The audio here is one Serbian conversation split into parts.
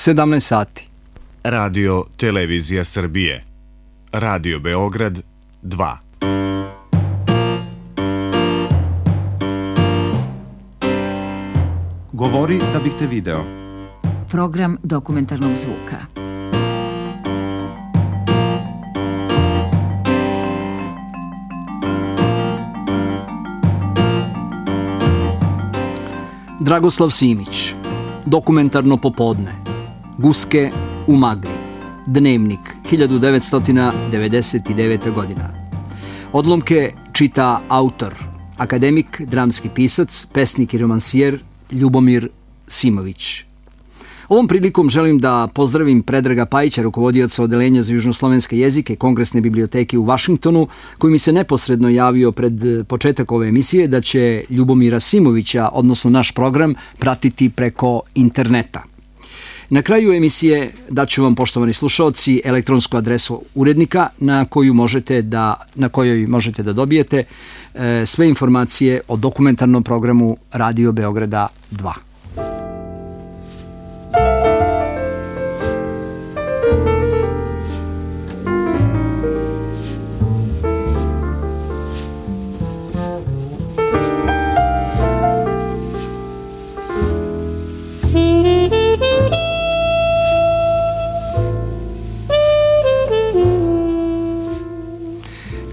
17 sati. Radio Televizija Srbije. Radio Beograd 2. Govori da bih te video. Program dokumentarnog zvuka. Dragoslav Simić. Dokumentarno popodne. Guske u magli. Dnevnik, 1999. godina. Odlomke čita autor, akademik, dramski pisac, pesnik i romansijer Ljubomir Simović. Ovom prilikom želim da pozdravim Predraga Pajića, rukovodioca Odeljenja za južnoslovenske jezike Kongresne biblioteke u Vašingtonu, koji mi se neposredno javio pred početak ove emisije da će Ljubomira Simovića, odnosno naš program, pratiti preko interneta. Na kraju emisije daću vam, poštovani slušaoci, elektronsku adresu urednika na kojoj možete da dobijete sve informacije o dokumentarnom programu Radio Beograda 2.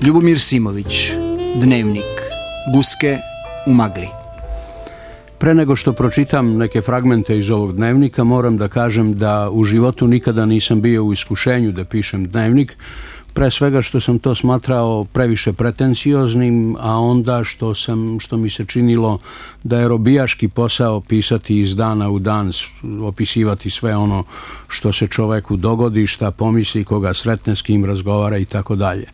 Ljubomir Simović, Dnevnik, Guske u magli. Pre nego što pročitam neke fragmente iz ovog dnevnika, moram da kažem da u životu nikada nisam bio u iskušenju da pišem dnevnik, pre svega što sam to smatrao previše pretencioznim, a onda što mi se činilo da je robijaški posao pisati iz dana u dan, opisivati sve ono što se čoveku dogodi, šta pomisli, koga sretne, s kim razgovara i tako dalje.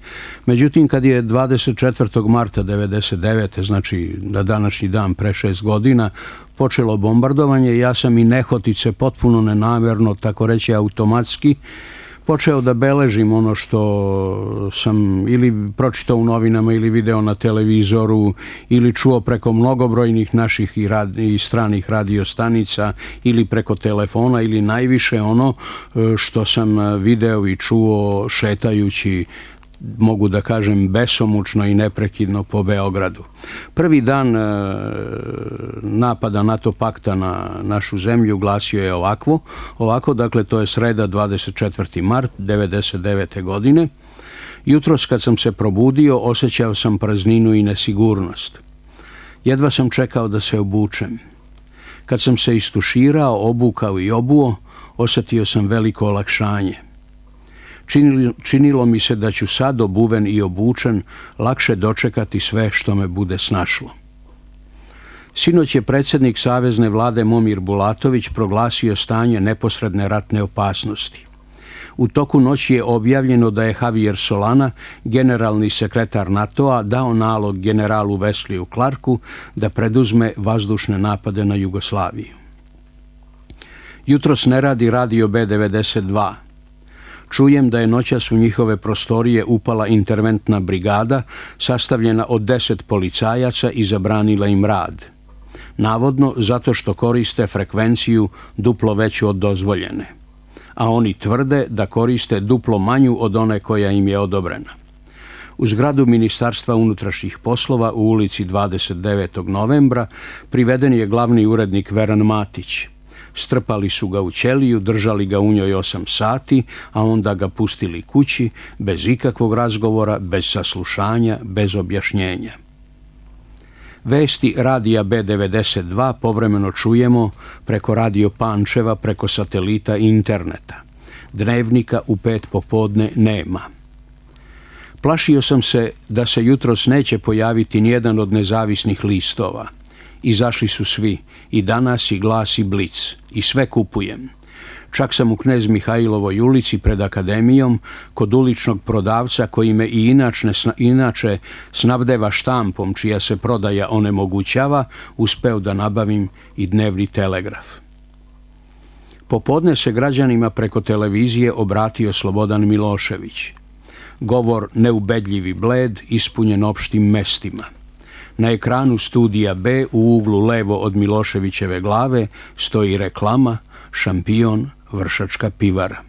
Međutim, kad je 24. marta 1999. znači na današnji dan pre 6 godina, počelo bombardovanje, ja sam i nehotice potpuno nenamjerno, tako reći automatski, počeo da beležim ono što sam ili pročitao u novinama ili video na televizoru ili čuo preko mnogobrojnih naših i stranih radiostanica ili preko telefona ili najviše ono što sam video i čuo šetajući, mogu da kažem, besomučno i neprekidno po Beogradu. Prvi dan napada NATO pakta na našu zemlju glasio je ovako, dakle to je sreda 24. mart 1999. godine. Jutros kad sam se probudio, osjećao sam prazninu i nesigurnost. Jedva sam čekao da se obučem. Kad sam se istuširao, obukao i obuo, osjetio sam veliko olakšanje. Činilo mi se da ću sad, obuven i obučen, lakše dočekati sve što me bude snašlo. Sinoć je predsjednik Savezne vlade Momir Bulatović proglasio stanje neposredne ratne opasnosti. U toku noći je objavljeno da je Javier Solana, generalni sekretar NATO-a, dao nalog generalu Wesliju Clarku da preduzme vazdušne napade na Jugoslaviju. Jutros ne radi radio B92. Čujem da je noćas u njihove prostorije upala interventna brigada sastavljena od 10 policajaca i zabranila im rad. Navodno zato što koriste frekvenciju duplo veću od dozvoljene. A oni tvrde da koriste duplo manju od one koja im je odobrena. U zgradu Ministarstva unutrašnjih poslova u ulici 29. novembra priveden je glavni urednik Veran Matić. Strpali su ga u ćeliju, držali ga u njoj 8 sati, a onda ga pustili kući, bez ikakvog razgovora, bez saslušanja, bez objašnjenja. Vesti radija B92 povremeno čujemo preko radio Pančeva, preko satelita i interneta. Dnevnika u 5 popodne nema. Plašio sam se da se jutros neće pojaviti nijedan od nezavisnih listova. Izašli su svi, i Danas, i Glas, i Blic, i sve kupujem. Čak sam u Knez Mihajlovoj ulici pred akademijom, kod uličnog prodavca koji me i inače snabdeva štampom čija se prodaja onemogućava, uspeo da nabavim i dnevni telegraf. Popodne se građanima preko televizije obratio Slobodan Milošević. Govor neubedljiv i bled, ispunjen opštim mestima. Na ekranu studija B u uglu levo od Miloševićeve glave stoji reklama, šampion, Vršačka pivara.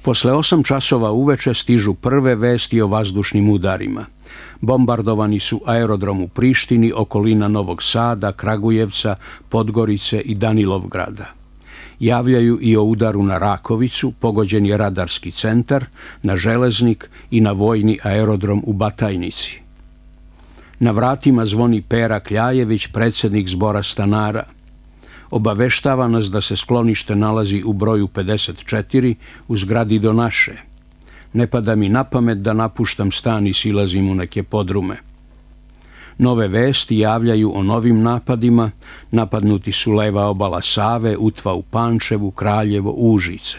Posle 8 časova uveče stižu prve vesti o vazdušnim udarima. Bombardovani su aerodrom u Prištini, okolina Novog Sada, Kragujevca, Podgorice i Danilovgrada. Javljaju i o udaru na Rakovicu, pogođen je radarski centar, na Železnik i na vojni aerodrom u Batajnici. Na vratima zvoni Pera Kljajević, predsjednik zbora stanara. Obaveštava nas da se sklonište nalazi u broju 54 u zgradi do naše. Ne pada mi na pamet da napuštam stan i silazim u neke podrume. Nove vesti javljaju o novim napadima. Napadnuti su leva obala Save, Utva u Pančevu, Kraljevo, Užice.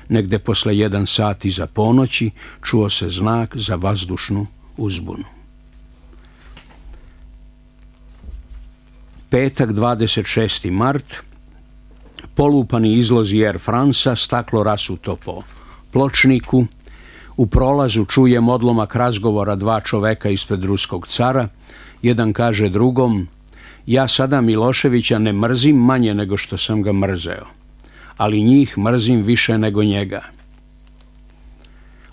Negde posle 1 sat iza ponoći čuo se znak za vazdušnu uzbunu. Petak, 26. mart, polupani izlozi Air Franca, staklo rasuto po pločniku. U prolazu čujem odlomak razgovora 2 čoveka ispred ruskog cara. Jedan kaže drugom: ja sada Miloševića ne mrzim manje nego što sam ga mrzeo, ali njih mrzim više nego njega.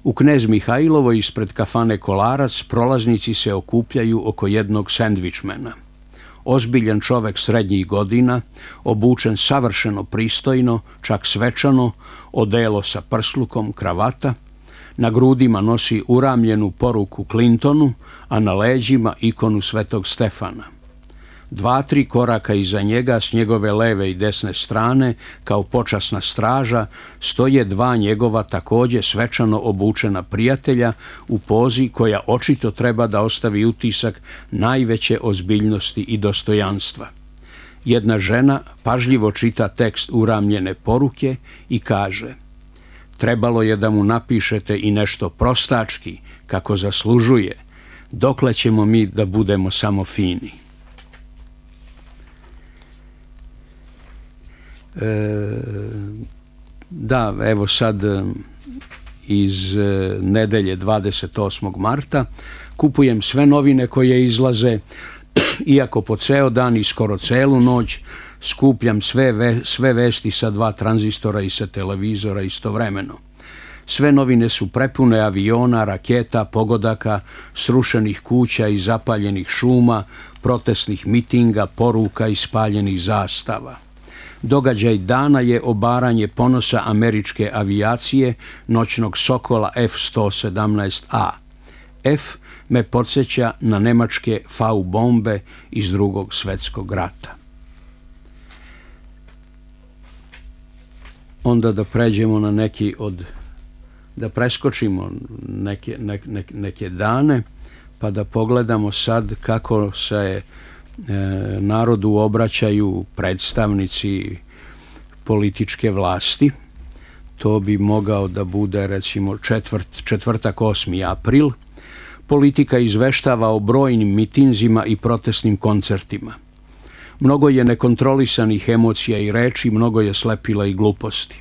U Knez Mihajlovoj ispred kafane Kolarac prolaznici se okupljaju oko jednog sendvičmena. Ozbiljan čovek srednjih godina, obučen savršeno pristojno, čak svečano, odelo sa prslukom, kravata, na grudima nosi uramljenu poruku Clintonu, a na leđima ikonu Svetog Stefana. 2-3 koraka iza njega s njegove leve i desne strane, kao počasna straža, stoje 2 njegova takođe svečano obučena prijatelja u pozi koja očito treba da ostavi utisak najveće ozbiljnosti i dostojanstva. Jedna žena pažljivo čita tekst uramljene poruke i kaže: trebalo je da mu napišete i nešto prostački, kako zaslužuje, dokle ćemo mi da budemo samo fini. Da, evo sad iz nedelje 28. marta kupujem sve novine koje izlaze, iako po ceo dan i skoro celu noć skupljam sve vesti sa 2 tranzistora i sa televizora istovremeno. Sve novine su prepune aviona, raketa, pogodaka, srušenih kuća i zapaljenih šuma, protestnih mitinga, poruka i spaljenih zastava. Događaj dana je obaranje ponosa američke avijacije, noćnog Sokola F-117A. F me podsjeća na nemačke V bombe iz Drugog svjetskog rata. Onda da pređemo na neki da preskočimo neke dane, pa da pogledamo sad kako se narodu obraćaju predstavnici političke vlasti. To bi mogao da bude recimo četvrtak 8. april. Politika izveštava o brojnim mitinzima i protestnim koncertima. Mnogo je nekontrolisanih emocija i reči, mnogo je slepila i gluposti.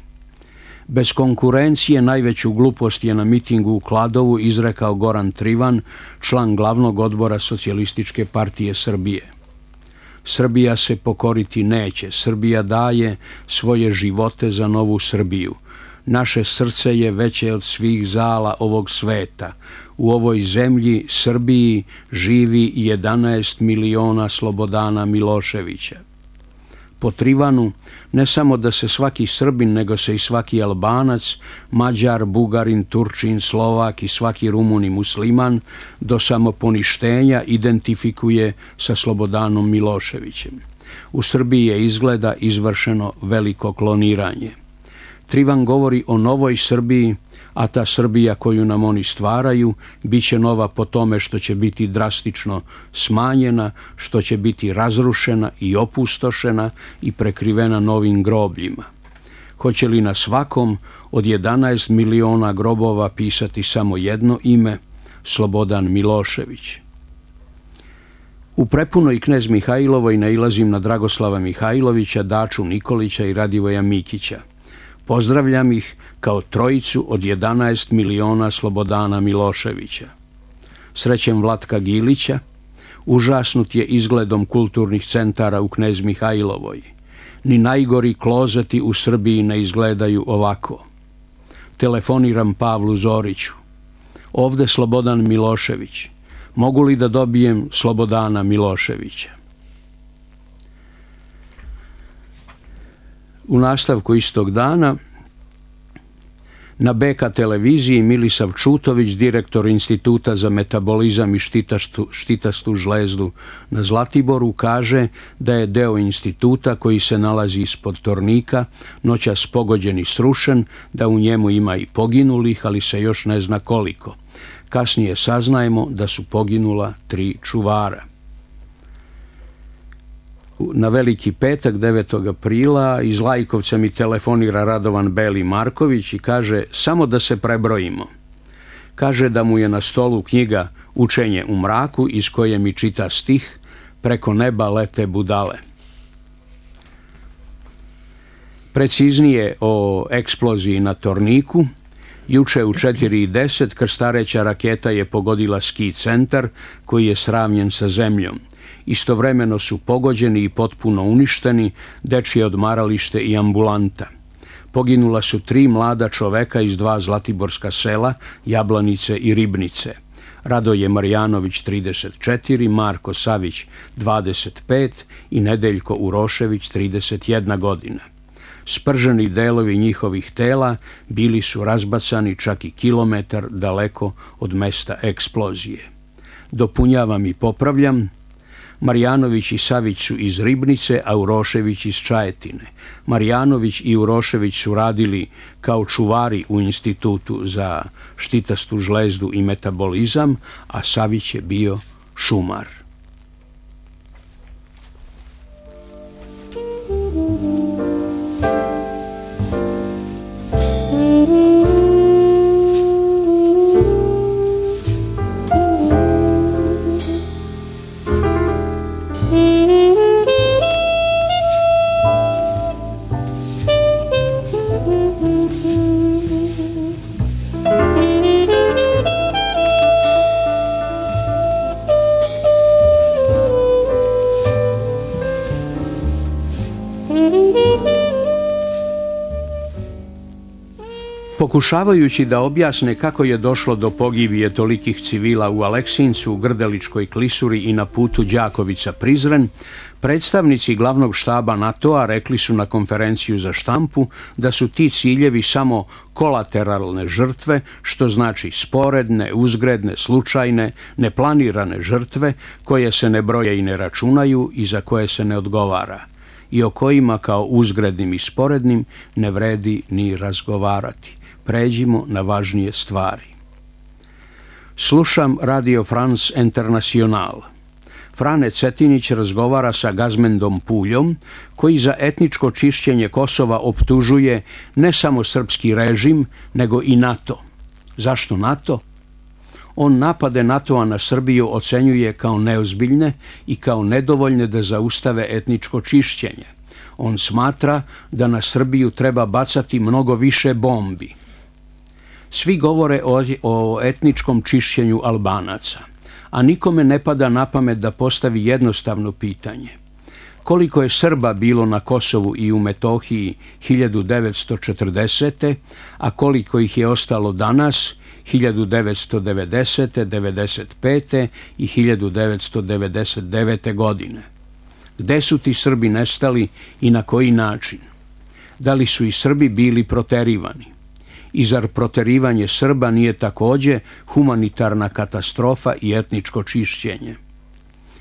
Bez konkurencije najveću glupost je na mitingu u Kladovu izrekao Goran Trivan, član glavnog odbora Socijalističke partije Srbije. Srbija se pokoriti neće, Srbija daje svoje živote za novu Srbiju. Naše srce je veće od svih zala ovog sveta. U ovoj zemlji, Srbiji, živi 11 miliona Slobodana Miloševića. Po Trivanu, ne samo da se svaki Srbin, nego se i svaki Albanac, Mađar, Bugarin, Turčin, Slovak i svaki Rumun i Musliman do samoponištenja identifikuje sa Slobodanom Miloševićem. U Srbiji je izgleda izvršeno veliko kloniranje. Trivan govori o novoj Srbiji, a ta Srbija koju nam oni stvaraju bit će nova po tome što će biti drastično smanjena, što će biti razrušena i opustošena i prekrivena novim grobljima. Hoće li na svakom od 11 miliona grobova pisati samo jedno ime, Slobodan Milošević? U prepunoj Knez Mihajlovoj nailazim na Dragoslava Mihajlovića, Daču Nikolića i Radivoja Mikića. Pozdravljam ih kao trojicu od 11 miliona Slobodana Miloševića. Srećem Vlatka Gilića, užasnut je izgledom kulturnih centara u Knez Mihajlovoj. Ni najgori klozeti u Srbiji ne izgledaju ovako. Telefoniram Pavlu Zoriću. Ovde Slobodan Milošević. Mogu li da dobijem Slobodana Miloševića? U nastavku istog dana na BK televiziji Milisav Čutović, direktor Instituta za metabolizam i štitastu žlezdu na Zlatiboru, kaže da je deo instituta koji se nalazi ispod Tornika noćas pogođen i srušen, da u njemu ima i poginulih, ali se još ne zna koliko. Kasnije saznajemo da su poginula 3 čuvara. Na Veliki petak, 9. aprila, iz Lajkovca mi telefonira Radovan Beli Marković i kaže samo da se prebrojimo. Kaže da mu je na stolu knjiga Učenje u mraku, iz koje mi čita stih Preko neba lete budale. Preciznije o eksploziji na Torniku. Juče u 4:10 krstareća raketa je pogodila ski centar koji je sravnjen sa zemljom. Istovremeno su pogođeni i potpuno uništeni dečje odmaralište i ambulanta. Poginula su 3 mlada čoveka iz 2 zlatiborska sela, Jablanice i Ribnice. Radoje Marjanović 34, Marko Savić 25 i Nedeljko Urošević 31 godina. Sprženi delovi njihovih tela bili su razbacani čak i kilometar daleko od mesta eksplozije. Dopunjavam i popravljam. Marjanović i Savić su iz Ribnice, a Urošević iz Čajetine. Marjanović i Urošević su radili kao čuvari u Institutu za štitastu žlezdu i metabolizam, a Savić je bio šumar. Pokušavajući da objasne kako je došlo do pogibije tolikih civila u Aleksincu, u Grdeličkoj klisuri i na putu Đakovica-Prizren, predstavnici glavnog štaba NATO-a rekli su na konferenciju za štampu da su ti ciljevi samo kolateralne žrtve, što znači sporedne, uzgredne, slučajne, neplanirane žrtve koje se ne broje i ne računaju i za koje se ne odgovara i o kojima kao uzgrednim i sporednim ne vredi ni razgovarati. Pređimo na važnije stvari. Slušam Radio France International. Frane Cetinić razgovara sa Gazmendom Puljom, koji za etničko čišćenje Kosova optužuje ne samo srpski režim, nego i NATO. Zašto NATO? On napade NATO-a na Srbiju ocenjuje kao neozbiljne i kao nedovoljne da zaustave etničko čišćenje. On smatra da na Srbiju treba bacati mnogo više bombi. Svi govore o etničkom čišćenju Albanaca, a nikome ne pada na pamet da postavi jednostavno pitanje. Koliko je Srba bilo na Kosovu i u Metohiji 1940. a koliko ih je ostalo danas 1990., 1995. i 1999. godine? Gde su ti Srbi nestali i na koji način? Da li su i Srbi bili proterivani? I zar proterivanje Srba nije takođe humanitarna katastrofa i etničko čišćenje?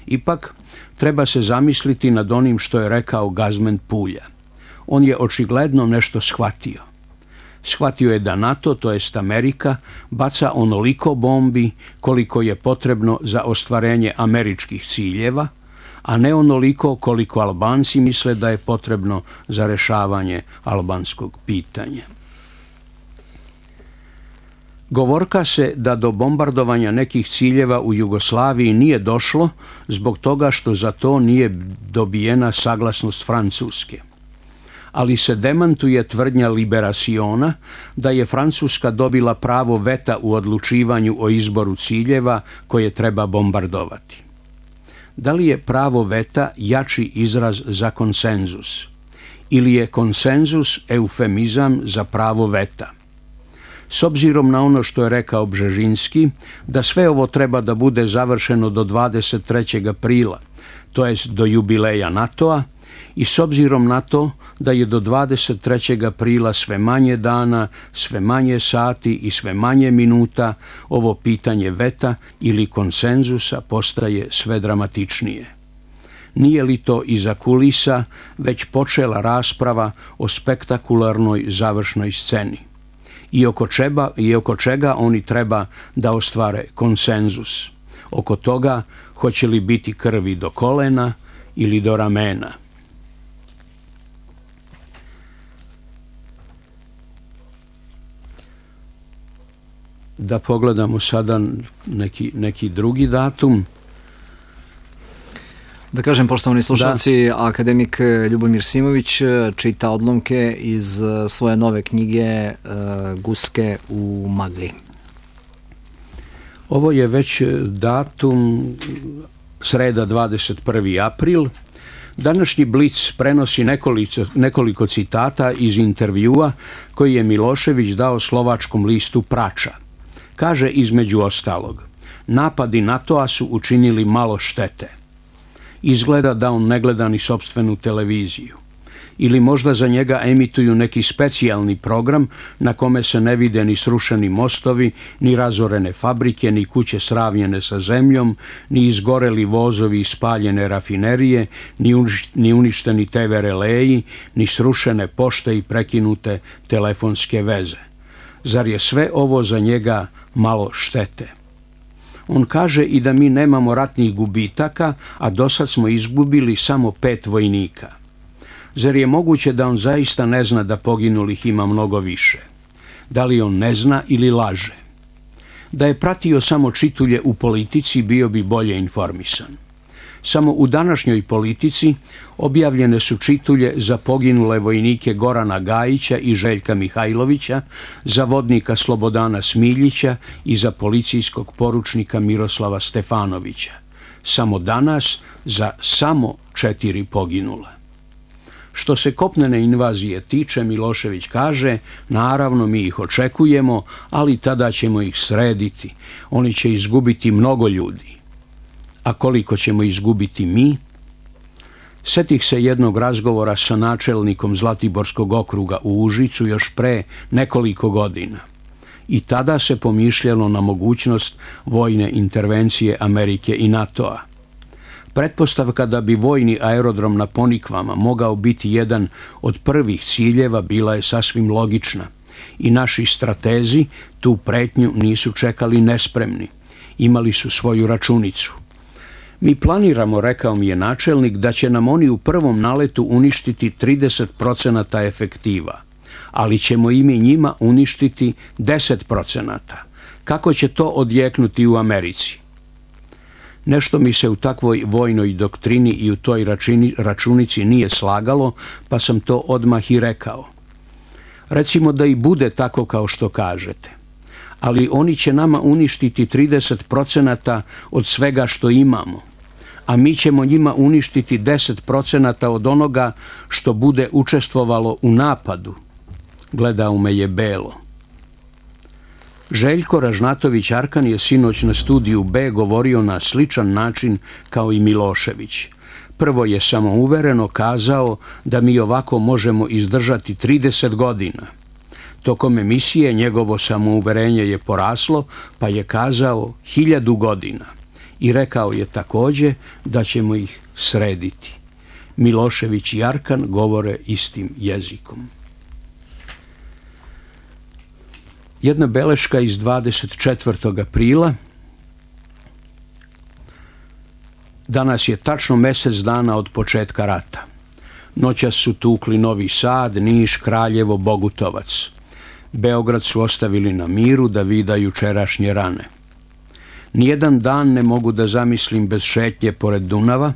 Ipak, treba se zamisliti nad onim što je rekao Gazmend Pulja. On je očigledno nešto shvatio. Shvatio je da NATO, to jest Amerika, baca onoliko bombi koliko je potrebno za ostvarenje američkih ciljeva, a ne onoliko koliko Albanci misle da je potrebno za rešavanje albanskog pitanja. Govorka se da do bombardovanja nekih ciljeva u Jugoslaviji nije došlo zbog toga što za to nije dobijena saglasnost Francuske. Ali se demantuje tvrdnja Liberaciona da je Francuska dobila pravo veta u odlučivanju o izboru ciljeva koje treba bombardovati. Da li je pravo veta jači izraz za konsenzus? ili je konsenzus eufemizam za pravo veta? S obzirom na ono što je rekao Bžežinski, da sve ovo treba da bude završeno do 23. aprila, to jest do jubileja NATO-a, i s obzirom na to da je do 23. aprila sve manje dana, sve manje sati i sve manje minuta, ovo pitanje veta ili konsenzusa postaje sve dramatičnije. Nije li to iza kulisa već počela rasprava o spektakularnoj završnoj sceni? I oko čega oni treba da ostvare konsenzus? Oko toga hoće li biti krvi do kolena ili do ramena? Da pogledamo sada neki drugi datum. Da kažem, poštovani slušalci, akademik Ljubomir Simović čita odlomke iz svoje nove knjige Guske u magli. Ovo je već datum sreda 21. april. Današnji Blic prenosi nekoliko citata iz intervjua koji je Milošević dao slovačkom listu Prača. Kaže između ostalog: napadi NATO-a su učinili malo štete. Izgleda da on ne gleda ni sopstvenu televiziju. Ili možda za njega emituju neki specijalni program na kome se ne vide ni srušeni mostovi, ni razorene fabrike, ni kuće sravnjene sa zemljom, ni izgoreli vozovi i spaljene rafinerije, ni uništeni TV releji, ni srušene pošte i prekinute telefonske veze. Zar je sve ovo za njega malo štete? On kaže i da mi nemamo ratnih gubitaka, a dosad smo izgubili samo 5 vojnika. Zar je moguće da on zaista ne zna da poginulih ima mnogo više? Da li on ne zna ili laže? Da je pratio samo čitulje u politici, bio bi bolje informisan. Samo u današnjoj Politici objavljene su čitulje za poginule vojnike Gorana Gajića i Željka Mihajlovića, za vodnika Slobodana Smiljića i za policijskog poručnika Miroslava Stefanovića. Samo danas za samo 4 poginula. Što se kopnene invazije tiče, Milošević kaže, naravno mi ih očekujemo, ali tada ćemo ih srediti. Oni će izgubiti mnogo ljudi. A koliko ćemo izgubiti mi? Setih se jednog razgovora sa načelnikom Zlatiborskog okruga u Užicu još pre nekoliko godina. I tada se pomišljalo na mogućnost vojne intervencije Amerike i NATO-a. Pretpostavka da bi vojni aerodrom na Ponikvama mogao biti jedan od prvih ciljeva bila je sasvim logična i naši stratezi tu pretnju nisu čekali nespremni. Imali su svoju računicu. Mi planiramo, rekao mi je načelnik, da će nam oni u prvom naletu uništiti 30% efektiva, ali ćemo i mi njima uništiti 10%. Kako će to odjeknuti u Americi? Nešto mi se u takvoj vojnoj doktrini i u toj računici nije slagalo, pa sam to odmah i rekao. Recimo da i bude tako kao što kažete, ali oni će nama uništiti 30% od svega što imamo, a mi ćemo njima uništiti 10% od onoga što bude učestvovalo u napadu. Gledao me je belo. Željko Ražnatović Arkan je sinoć na Studiju B govorio na sličan način kao i Milošević. Prvo je samouvereno kazao da mi ovako možemo izdržati 30 godina. Tokom emisije njegovo samouverenje je poraslo, pa je kazao 1000 godina. I rekao je također da ćemo ih srediti. Milošević i Arkan govore istim jezikom. Jedna beleška iz 24. aprila. Danas je tačno mjesec dana od početka rata. Noćas su tukli Novi Sad, Niš, Kraljevo, Bogutovac. Beograd su ostavili na miru da vida jučerašnje rane. Nijedan dan ne mogu da zamislim bez šetnje pored Dunava,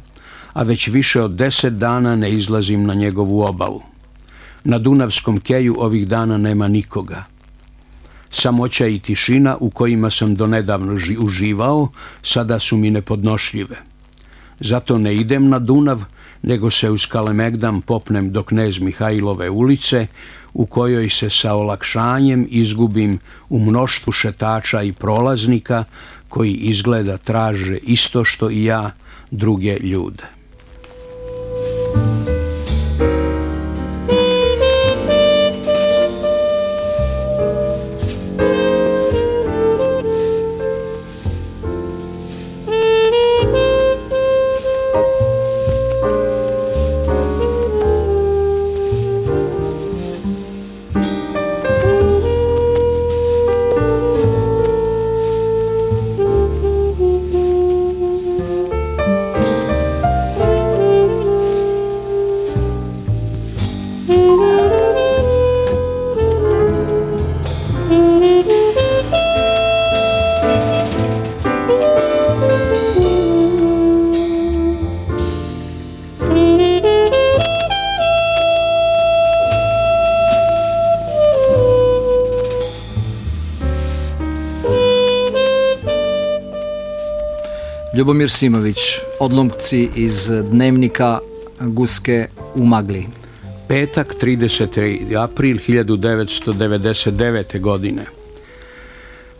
a već više od 10 dana ne izlazim na njegovu obalu. Na Dunavskom keju ovih dana nema nikoga. Samoća i tišina u kojima sam donedavno uživao sada su mi nepodnošljive. Zato ne idem na Dunav, nego se uz Kalemegdam popnem do Knez Mihajlove ulice, u kojoj se sa olakšanjem izgubim u mnoštvu šetača i prolaznika koji izgleda traže isto što i ja, druge ljude. Ljubomir Simović, odlomci iz dnevnika Guske u magli. Petak, 30. april 1999. godine.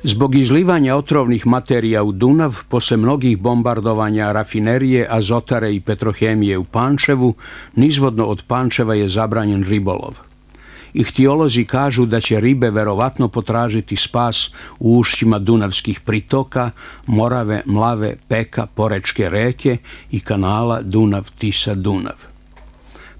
Zbog izlivanja otrovnih materija u Dunav, posle mnogih bombardovanja rafinerije, azotare i petrohemije u Pančevu, nizvodno od Pančeva je zabranjen ribolov. Ihtiolozi kažu da će ribe verovatno potražiti spas u ušćima dunavskih pritoka, Morave, Mlave, Peka, Porečke reke i kanala Dunav-Tisa-Dunav.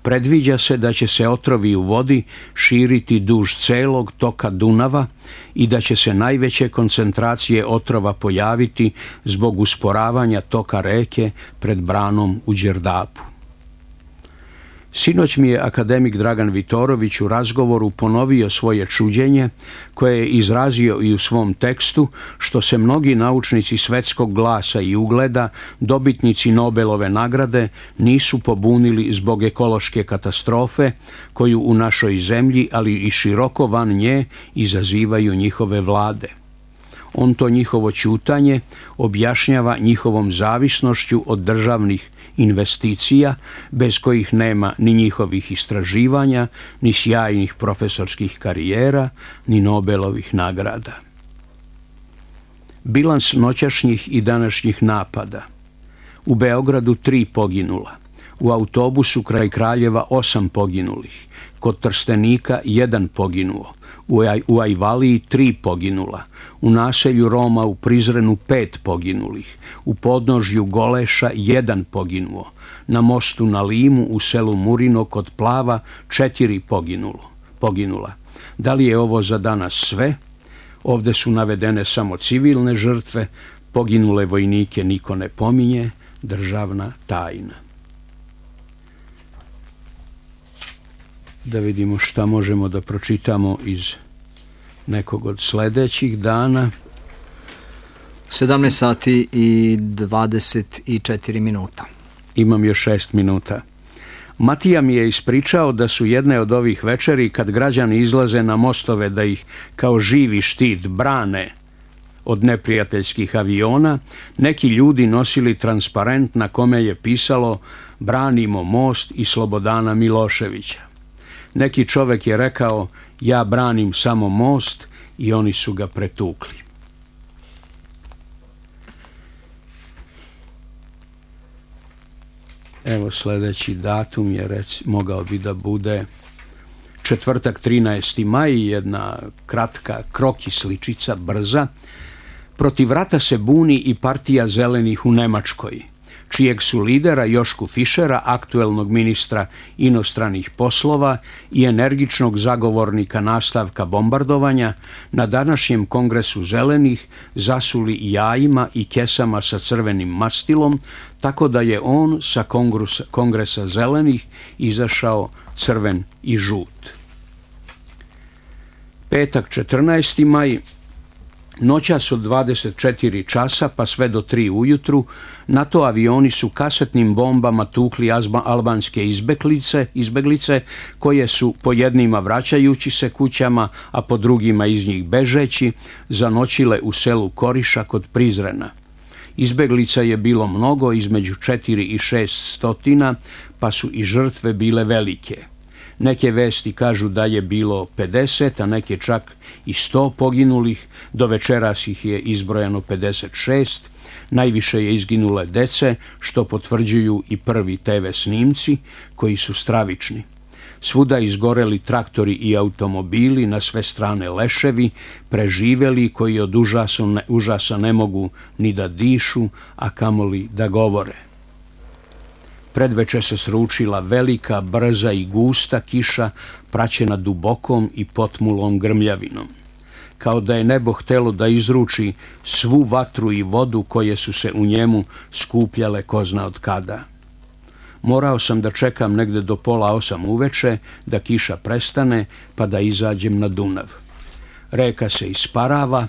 Predviđa se da će se otrovi u vodi širiti duž celog toka Dunava i da će se najveće koncentracije otrova pojaviti zbog usporavanja toka reke pred branom u Đerdapu. Sinoć mi je akademik Dragan Vitorović u razgovoru ponovio svoje čuđenje, koje je izrazio i u svom tekstu, što se mnogi naučnici svetskog glasa i ugleda, dobitnici Nobelove nagrade, nisu pobunili zbog ekološke katastrofe koju u našoj zemlji, ali i široko van nje, izazivaju njihove vlade. On to njihovo ćutanje objašnjava njihovom zavisnošću od državnih investicija, bez kojih nema ni njihovih istraživanja, ni sjajnih profesorskih karijera, ni Nobelovih nagrada. Bilans noćašnjih i današnjih napada. U Beogradu 3 poginula, u autobusu kraj Kraljeva 8 poginulih, kod Trstenika 1 poginuo, u Ajvaliji 3 poginula, u naselju Roma u Prizrenu 5 poginulih, u podnožju Goleša 1 poginuo, na mostu na Limu u selu Murino kod Plava 4 poginula. Da li je ovo za danas sve? Ovde su navedene samo civilne žrtve, poginule vojnike niko ne pominje, državna tajna. Da vidimo šta možemo da pročitamo iz nekog od sledećih dana. 17 sati i 24 minuta. Imam još 6 minuta. Matija mi je ispričao da su jedne od ovih večeri, kad građani izlaze na mostove da ih kao živi štit brane od neprijateljskih aviona, neki ljudi nosili transparent na kome je pisalo "Branimo most i Slobodana Miloševića". Neki čovek je rekao "Ja branim samo most" i oni su ga pretukli. Evo sledeći datum je mogao bi da bude četvrtak 13. maj, jedna kratka kroki sličica, brza. Protiv rata se buni i partija zelenih u Nemačkoj, čijeg su lidera Jošku Fišera, aktuelnog ministra inostranih poslova i energičnog zagovornika nastavka bombardovanja, na današnjem kongresu zelenih zasuli jajima i kesama sa crvenim mastilom, tako da je on sa kongresa zelenih izašao crven i žut. Petak 14. maj, noćas od 24 časa pa sve do 3 ujutru, NATO avioni su kasetnim bombama tukli albanske izbeglice koje su po jednima vraćajući se kućama, a po drugima iz njih bežeći, zanoćile u selu Koriša kod Prizrena. Izbeglica je bilo mnogo, između 4 i 6 stotina, pa su i žrtve bile velike. Neke vesti kažu da je bilo 50, a neke čak i 100 poginulih, do večeras ih je izbrojano 56, najviše je izginule dece, što potvrđuju i prvi TV snimci, koji su stravični. Svuda izgoreli traktori i automobili, na sve strane leševi, preživeli koji od užasa ne mogu ni da dišu, a kamoli da govore. Predveče se sručila velika, brza i gusta kiša, praćena dubokom i potmulom grmljavinom. Kao da je nebo htelo da izruči svu vatru i vodu koje su se u njemu skupljale ko zna od kada. Morao sam da čekam negde do 7:30 uveče da kiša prestane, pa da izađem na Dunav. Reka se isparava,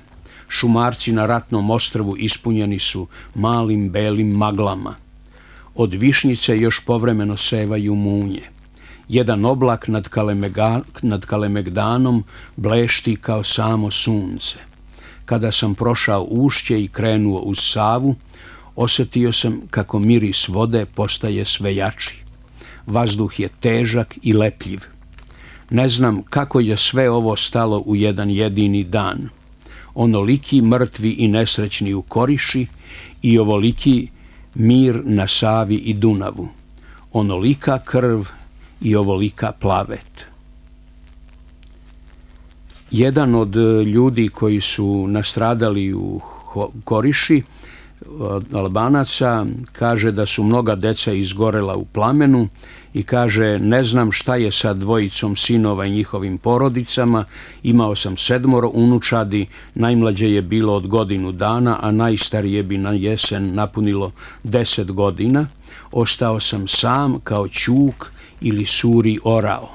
šumarci na Ratnom ostrvu ispunjeni su malim belim maglama. Od višnjice još povremeno sevaju munje. Jedan oblak nad Kalemegdanom blešti kao samo sunce. Kada sam prošao ušće i krenuo uz Savu, osjetio sam kako miris vode postaje sve jači. Vazduh je težak i lepljiv. Ne znam kako je sve ovo stalo u jedan jedini dan. Onoliki mrtvi i nesrećni u Koriši i ovoliki mir na Savi i Dunavu. Onolika krv i ovolika plavet. Jedan od ljudi koji su nastradali u Koriši, od Albanaca, kaže da su mnoga deca izgorela u plamenu i kaže, ne znam šta je sa 2 sinova i njihovim porodicama, imao sam 7 unučadi, najmlađe je bilo od 1 dana, a najstarije bi na jesen napunilo 10 godina, ostao sam sam kao ćuk ili suri orao.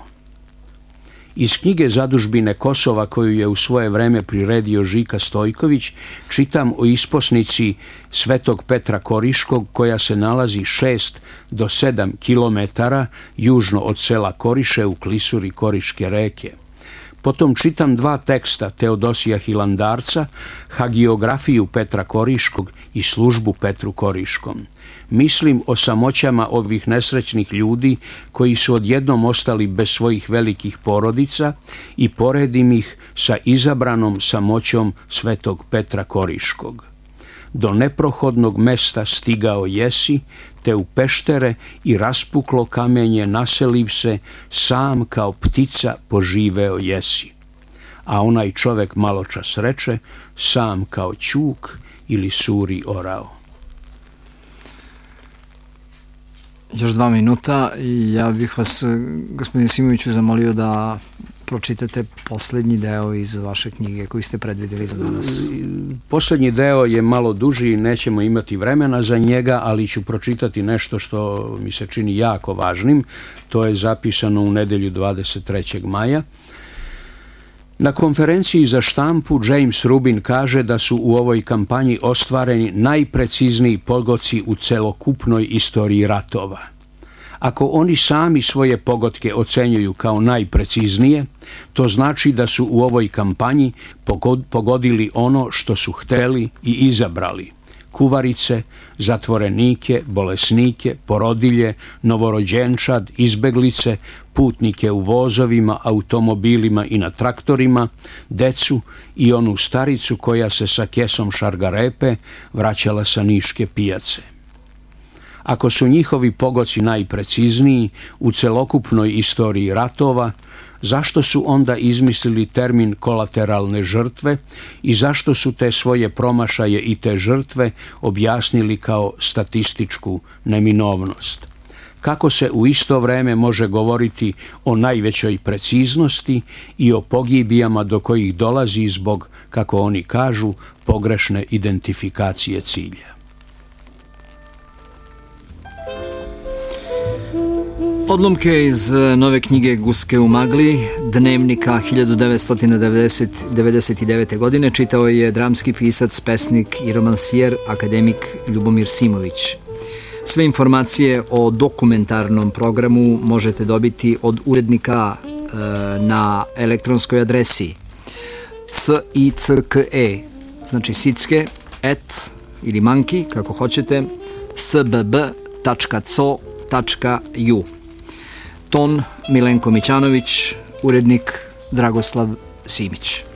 Iz knjige Zadužbine Kosova, koju je u svoje vreme priredio Žika Stojković, čitam o isposnici Svetog Petra Koriškog, koja se nalazi 6 do 7 kilometara južno od sela Koriše u klisuri Koriške reke. Potom čitam 2 teksta Teodosija Hilandarca, hagiografiju Petra Koriškog i službu Petru Koriškom. Mislim o samoćama ovih nesrećnih ljudi koji su odjednom ostali bez svojih velikih porodica i poredim ih sa izabranom samoćom Svetog Petra Koriškog. Do neprohodnog mesta stigao jesi, te u peštere i raspuklo kamenje naseliv se, sam kao ptica poživeo jesi. A onaj čovek maločas reče, sam kao ćuk ili suri orao. Još 2 minuta i ja bih vas, gospodine Simoviću, zamolio da pročitate poslednji deo iz vaše knjige koju ste predvideli za danas. Poslednji deo je malo duži, nećemo imati vremena za njega, ali ću pročitati nešto što mi se čini jako važnim. To je zapisano u nedelju 23. maja. Na konferenciji za štampu James Rubin kaže da su u ovoj kampanji ostvareni najprecizniji pogoci u celokupnoj istoriji ratova. Ako oni sami svoje pogodke ocenjuju kao najpreciznije, to znači da su u ovoj kampanji pogodili ono što su hteli i izabrali. Kuvarice, zatvorenike, bolesnike, porodilje, novorođenčad, izbeglice, putnike u vozovima, automobilima i na traktorima, decu i onu staricu koja se sa kesom šargarepe vraćala sa niške pijace. Ako su njihovi pogoci najprecizniji u celokupnoj istoriji ratova, zašto su onda izmislili termin kolateralne žrtve i zašto su te svoje promašaje i te žrtve objasnili kao statističku neminovnost? Kako se u isto vreme može govoriti o najvećoj preciznosti i o pogibijama do kojih dolazi zbog, kako oni kažu, pogrešne identifikacije cilja? Odlomke iz nove knjige Guske u magli, dnevnika 1999. godine, čitao je dramski pisac, pesnik i romansijer, akademik Ljubomir Simović. Sve informacije o dokumentarnom programu možete dobiti od urednika na elektronskoj adresi sicke, znači sicke, @ ili manki, kako hoćete, sbb.co radio.ju. Ton Milenko Mićanović, urednik Dragoslav Simić.